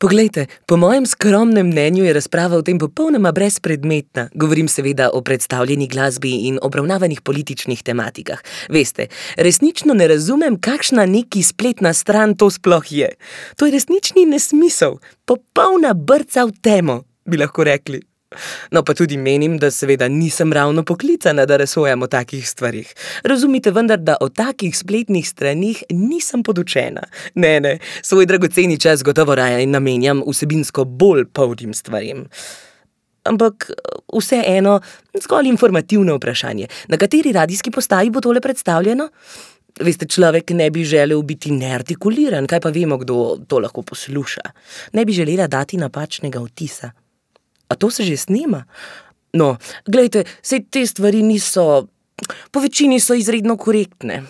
Poglejte, po mojem skromnem mnenju je razprava o tem popolnoma brezpredmetna. Govorim seveda o predstavljeni glasbi in obravnavanih političnih tematikah. Veste, resnično ne razumem, kakšna neki spletna stran to sploh je. To je resnični nesmisel, popolna brca v temo, bi lahko rekli. No, pa tudi menim, da seveda nisem ravno poklicana, da razsojam o takih stvarih. Razumite vendar, da o takih spletnih stranih nisem podučena. Ne, svoj dragoceni čas gotovo raje namenjam vsebinsko bolj polnim stvarem. Ampak vseeno, zgolj informativno vprašanje. Na kateri radijski postaji bo tole predstavljeno? Veste, človek ne bi želel biti neartikuliran, kaj pa vemo, kdo to lahko posluša. Ne bi želela dati napačnega vtisa. A to se že snema? No, glejte, saj te stvari niso, po večini so izredno korektne.